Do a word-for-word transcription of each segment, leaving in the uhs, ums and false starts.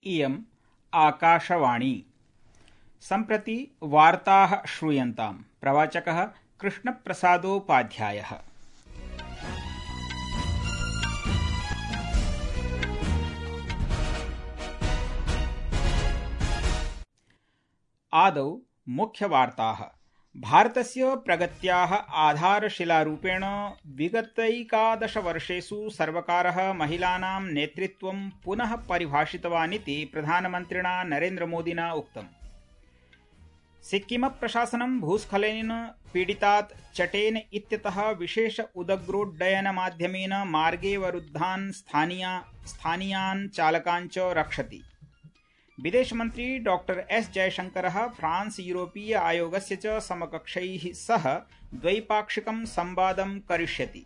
इयम् आकाशवाणी। सम्प्रति वार्ताः श्रूयन्ताम्। प्रवाचकः कृष्णप्रसादोपाध्यायः। आदौ मुख्यवार्ताः। भारतस्य प्रगत्याः आधारशिलारूपेण विगतैकादशवर्षेषु सर्वकारः महिलानां नेतृत्वं पुनः परिभाषितवान् इति प्रधानमन्त्रिणा नरेन्द्रमोदिना उक्तम्। सिक्किमप्रशासनं भूस्खलनेन पीडितात् चटेन इत्यतः विशेष उदग्रोड्डयनमाध्यमेन मार्गेऽवरुद्धान् स्थानीयान् चालकान् च रक्षति। विदेशमन्त्री डॉक्टर एस जयशंकरः फ्रांस यूरोपीय आयोगस्य च समकक्षैः सह द्वैपाक्षिकं संवादं करिष्यति।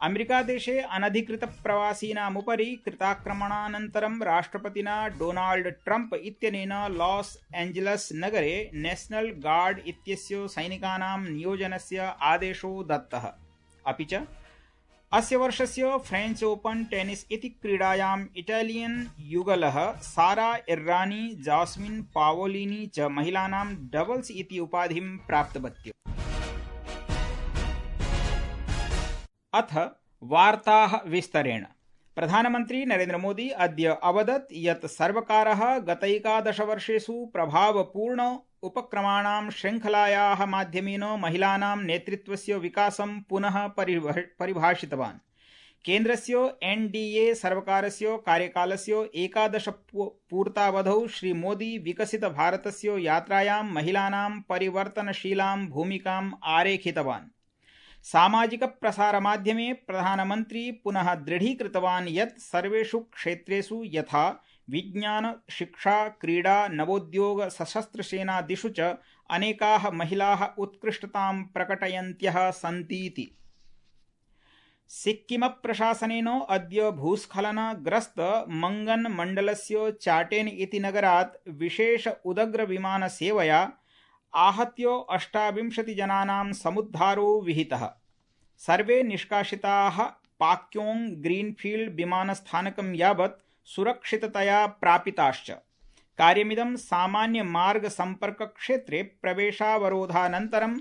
अमेरिकादेशे अनधिकृतप्रवासीनामुपरि कृताक्रमणानन्तरं राष्ट्रपतिना डोनाल्ड ट्रम्प इत्यनेन लॉस एंजलस नगरे नेशनल गार्ड इत्यस्य सैनिकानां नियोजनस्य आदेशो दत्तः। अपि च अस्य वर्षस्य फ्रेंच ओपन टेनिस इति क्रीडायाम् इटालियन युगलः सारा इर्रानी जास्मिन पावोलिनी च महिलानां डबल्स इति उपाधिं प्राप्तवत्यौ। अथ वार्ताः विस्तरेण। प्रधानमन्त्री नरेन्द्र मोदी अद्य अवदत् यत् सर्वकारः गतैकादशवर्षेषु प्रभावपूर्ण उपक्रमाणां श्रृङ्खलायाः माध्यमेन महिलानां नेतृत्वस्य विकासं पुनः परिभाषितवान्। केन्द्रस्य एनडीए सर्वकारस्य कार्यकालस्य एकादश पूर्तावधौ श्री मोदी विकसित भारतस्य यात्रायां महिलानां परिवर्तनशीलां भूमिकाम् आरेखितवान्। सामाजिक प्रसारमाध्यमे प्रधानमन्त्री पुनः दृढीकृतवान् यत् सर्वेषु क्षेत्रेषु यथा विज्ञान, शिक्षा, क्रीडा, नवोद्योग, सशस्त्रसेनादिषु च अनेकाः महिलाः उत्कृष्टतां प्रकटयन्त्यः सन्तीति। सिक्किमप्रशासनेन अद्य भूस्खलनग्रस्त मंगन मण्डलस्य चाटेन इति नगरात् विशेष उदग्र विमानसेवया आहत्य अष्टाविंशति जनानां समुद्धारो विहितः। सर्वे निष्कासिताः पाक्योंग ग्रीनफील्ड विमानस्थानकं यावत् सुरक्षिततया प्रापिताश्च। कार्यमिदं सामान्य मार्ग संपर्क क्षेत्रे प्रवेशावरोधानन्तरम्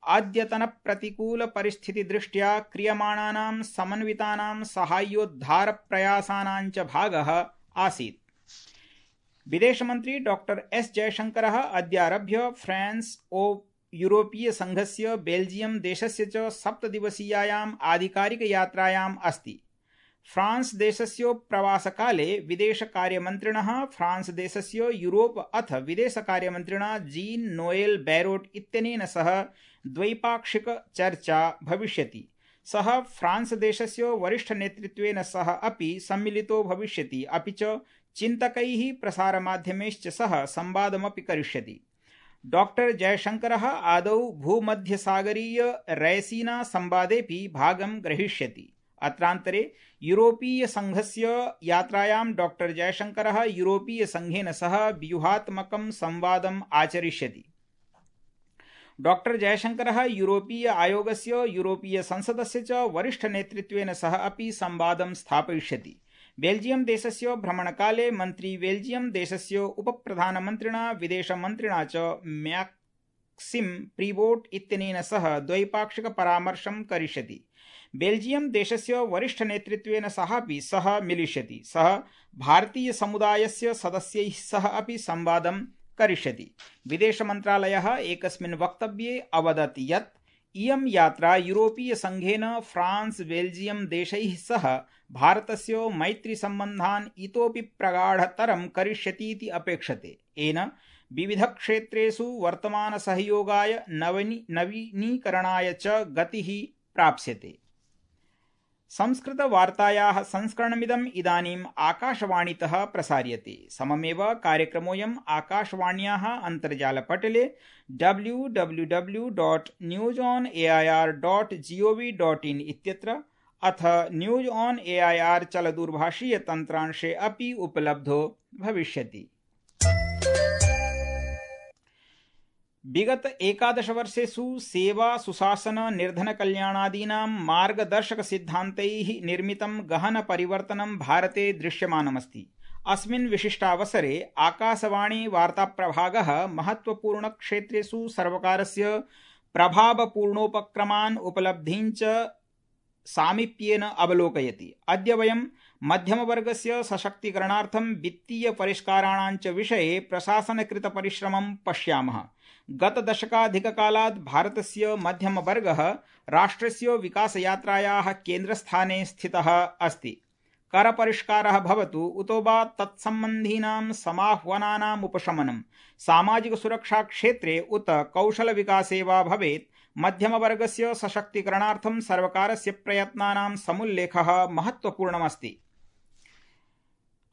अद्यतन प्रतिकूल परिस्थिति दृष्ट्या क्रियमाणानां समन्वितानां साहाय्योद्धार प्रयासानां च भागः आसीत्। विदेशमन्त्री डॉक्टर एस जयशंकरः अद्यारभ्य फ्रांस ओ यूरोपीय संघस्य बेल्जियम देशस्य च सप्तदिवसीयायाम् आधिकारिक यात्रायाम् अस्ति। फ्रांस देशस्य प्रवासकाले विदेशकार्यमन्त्रिणः फ्रांस देशस्य यूरोप अथ विदेशकार्यमन्त्रिणा जीन नोएल बैरोट इत्यनेन सह द्वैपाक्षिक चर्चा भविष्यति। सः फ्रांस देशस्य वरिष्ठ नेतृत्वेन सह अपि सम्मिलितो भविष्यति। अपि च चिन्तकैः प्रसारमाध्यमैश्च सह संवादमपि करिष्यति। डॉक्टर जयशंकरः आदौ भूमध्यसागरीय रैसीना संवादेऽपि भागं ग्रहीष्यति। अत्रान्तरे यूरोपीय संघस्य यात्रायां डॉक्टर जयशंकरः यूरोपीय संघेन सह व्यूहात्मकं संवादम् आचरिष्यति। डॉक्टर जयशंकरः यूरोपीय आयोगस्य यूरोपीय संसदस्य च वरिष्ठ नेतृत्वेन सह अपि संवादं स्थापयिष्यति। बेल्जियम देशस्य भ्रमणकाले मन्त्री बेल्जियम देशस्य उपप्रधानमन्त्रिणा विदेशमन्त्रिणा च मैक्सिम प्रीवोट इत्यनेन सह द्वैपाक्षिक परामर्शं करिष्यति। बेल्जियम देशस्य वरिष्ठ नेतृत्वेन सहापि सह मिलिष्यति। सः भारतीय समुदायस्य सदस्यैः सह अपि संवादं करिष्यति। विदेशमन्त्रालयः एकस्मिन् वक्तव्ये अवदत् यत् इयं यात्रा यूरोपीय संघेन फ्रांस बेल्जियम देशैः सह भारतस्य मैत्री सम्बन्धान् इतोपि प्रगाढतरं करिष्यतीति अपेक्षते। येन विविध क्षेत्रेषु वर्तमान सहयोगाय नवीनीकरणाय च गतिः प्राप्स्यते। संस्कृत वार्तायाः संस्करणमिदम् इदानीम् आकाशवाणीतः प्रसार्यते। सममेव कार्यक्रमोऽयम् आकाशवाण्याः अन्तर्जालपटले W W W dot news on A I R dot G O V dot in इत्यत्र अथ news on A I R चलदूरभाषीय तन्त्रांशे अपि उपलब्धो भविष्यति। विगत एकादश वर्षेषु सेवा सुशासन निर्धन कल्याणादीनां मार्गदर्शक सिद्धान्तैः निर्मितं गहन परिवर्तनं भारते दृश्यमानमस्ति। अस्मिन् विशिष्टावसरे आकाशवाणी वार्ताप्रभागः महत्वपूर्णक्षेत्रेषु सर्वकारस्य प्रभावपूर्णोपक्रमान् उपलब्धीञ्च सामीप्येन अवलोकयति। अद्य वयं मध्यमवर्गस्य सशक्तीकरणार्थं वित्तीयपरिष्काराणाञ्च विषये प्रशासनकृतपरिश्रमं पश्यामः। गतदशकाधिककालात् भारतस्य मध्यमवर्गः राष्ट्रस्य विकासयात्रायाः केन्द्रस्थाने स्थितः अस्ति। करपरिष्कारः भवतु उतो वा तत्सम्बन्धीनां समाह्वानानाम् उपशमनं, सामाजिकसुरक्षाक्षेत्रे उत कौशलविकासे वा भवेत्, मध्यमवर्गस्य सशक्तीकरणार्थं सर्वकारस्य प्रयत्नानां समुल्लेखः महत्वपूर्णमस्ति।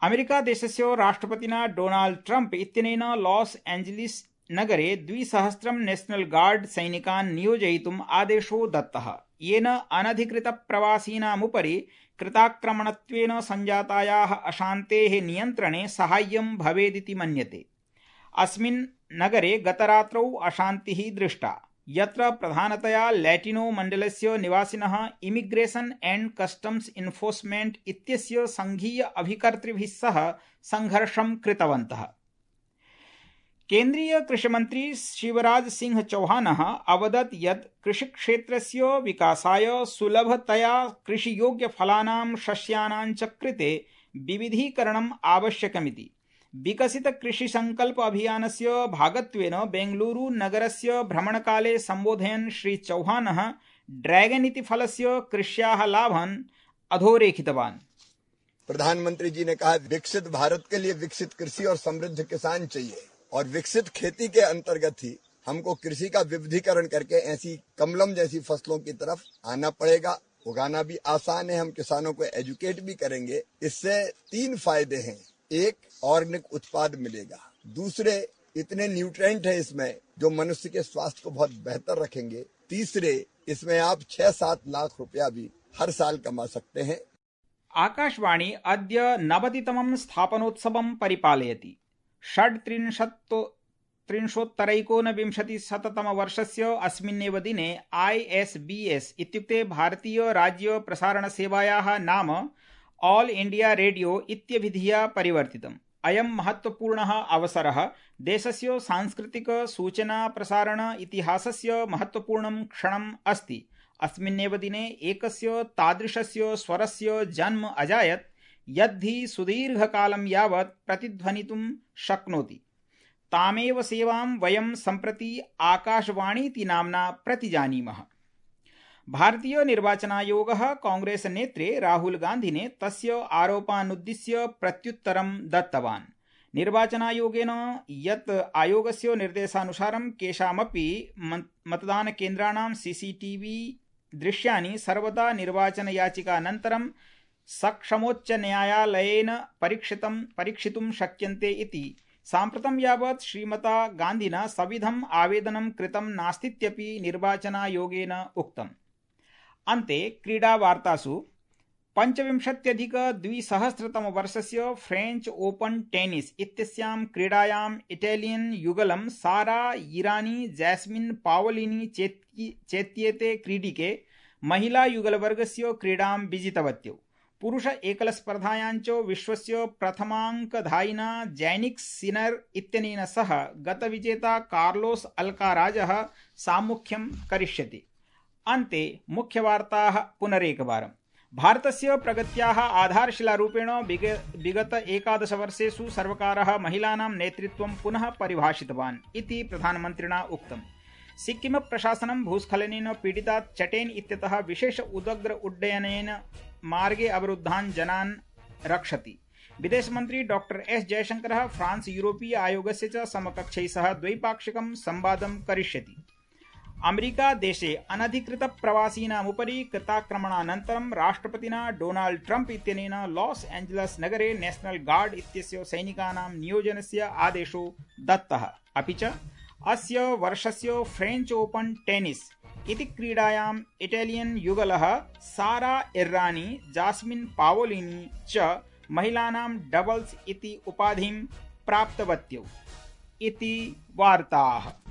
अमेरिकादेशस्य राष्ट्रपतिना डोनाल्ड ट्रम्प इत्यनेन लॉस एंजलिस नगरे द्विसहस्रं नेशनल गार्ड सैनिकान् नियोजयितुम् आदेशो दत्तः, येन अनधिकृतप्रवासीनामुपरि कृताक्रमणत्वेन सञ्जातायाः अशान्तेः नियन्त्रणे साहाय्यं भवेदिति मन्यते। अस्मिन् नगरे गतरात्रौ अशान्तिः दृष्टा, यत्र प्रधानतया लैटिनो मण्डलस्य निवासिनः इमिग्रेशन एंड कस्टम्स इन्फोर्समेंट इत्यस्य संघीय अभिकर्तृभिः सह संघर्षं कृतवन्तः। केन्द्रीय कृषिमन्त्री शिवराज सिंह चौहानः अवदत् यत् कृषिक्षेत्रस्य विकासाय सुलभतया कृषियोग्यफलानां सस्यानां च कृते विविधीकरणम् आवश्यकमिति। विकसित कृषि संकल्प अभियानस्य भागत्वेन बेंगलुरु नगरस्य भ्रमणकाले संबोधयन् श्री चौहानः ड्रैगन इति फलस्य कृष्याः लाभान् अधोरेखितवान्। प्रधानमंत्री जी ने कहा विकसित भारत के लिए विकसित कृषि और समृद्ध किसान चाहिए, और विकसित खेती के अंतर्गत ही हमको कृषि का विविधीकरण करके ऐसी कमलम जैसी फसलों की तरफ आना पड़ेगा। उगाना भी आसान है, हम किसानों को एजुकेट भी करेंगे। इससे तीन फायदे हैं। एक, ऑर्गेनिक उत्पाद मिलेगा। दूसरे, इतने न्यूट्रिएंट है इसमें जो मनुष्य के स्वास्थ्य को बहुत बेहतर रखेंगे। तीसरे, इसमें आप छह सात लाख रुपया भी हर साल कमा सकते हैं। आकाशवाणी अद्य नवतितमं स्थापनोत्सवं परिपालयति। षड्त्रिंशत् त्रिंशोत्तरैकोनविंशतिशततमवर्षस्य अस्मिन्नेव दिने आई एस बी एस इत्युक्ते भारतीय राज्य प्रसारणसेवायाः नाम ऑल इंडिया रेडियो इत्यभिधिया परिवर्तितम्। अयं महत्वपूर्णः अवसरः देशस्य सांस्कृतिक सूचना प्रसारण इतिहासस्य महत्वपूर्णं क्षणम् अस्ति। अस्मिन्नेव दिने एकस्य तादृशस्य स्वरस्य जन्म अजायत् यद्धि सुदीर्घकालं यावत् प्रतिध्वनितुं शक्नोति। तामेव सेवां वयं सम्प्रति आकाशवाणीति नाम्ना प्रतिजानीमः। भारतीय निर्वाचनायोगः कांग्रेस नेत्रे राहुल गान्धिने तस्य आरोपानुद्दिश्य प्रत्युत्तरं दत्तवान्। निर्वाचनायोगेन यत् आयोगस्य निर्देशानुसारं केषामपि मतदानकेन्द्राणां सीसीटीवी दृश्यानि सर्वदा निर्वाचनयाचिकानन्तरं सक्षमोच्चन्यायालयेन परीक्षितं परीक्षितुं शक्यन्ते इति साम्प्रतं यावत् श्रीमता गान्धिना सविधम् आवेदनं कृतं नास्तीत्यपि निर्वाचनायोगेन उक्तम्। अन्ते क्रीडावार्तासु पञ्चविंशत्यधिकद्विसहस्रतमवर्षस्य फ्रेंच ओपन टेनिस इत्यस्यां क्रीडायाम् इटालियन युगलं सारा ईरानी जैस्मिन पावलिनी चेत्येते क्रीडिके महिला युगलवर्गस्य क्रीडां विजितवत्यौ। पुरुष एकलस्पर्धायाञ्च विश्वस्य प्रथमाङ्कधायिना जैनिक सिनर इत्यनेन सह गतविजेता कार्लोस अल्काराजः सामुख्यं करिष्यति। अन्ते मुख्यवार्ताः पुनरेकवारम्। भारतस्य प्रगत्याः आधारशिलारूपेण विगत एकादशवर्षेषु सर्वकारः महिलानां नेतृत्वं पुनः परिभाषितवान् इति प्रधानमन्त्रिणा उक्तम्। सिक्किम प्रशासनं भूस्खलनेन पीडितात् चटेन इत्यतः विशेष उदग्र उड्डयनेन मार्गे अवरुद्धान् जनान् रक्षति। विदेशमन्त्री डॉक्टर एस जयशंकरः फ्रांस यूरोपीय आयोगस्य च समकक्षैः सह द्वैपाक्षिकं संवादं करिष्यति। अमेरिका देशे अनधिकृत प्रवासीनामुपरि कृताक्रमणानन्तरं राष्ट्रपतिना डोनाल्ड ट्रम्प इत्यनेन लॉस एंजलस नगरे नेशनल गार्ड इत्यस्य सैनिकानां नियोजनस्य आदेशो दत्तः। अपि च अस्य वर्षस्य फ्रेंच ओपन टेनिस इति क्रीडायाम् इटालियन युगलः सारा इर्रानी जास्मिन पावोलिनी च महिलानां डबल्स इति उपाधिं प्राप्तवत्यौ इति वार्ताः।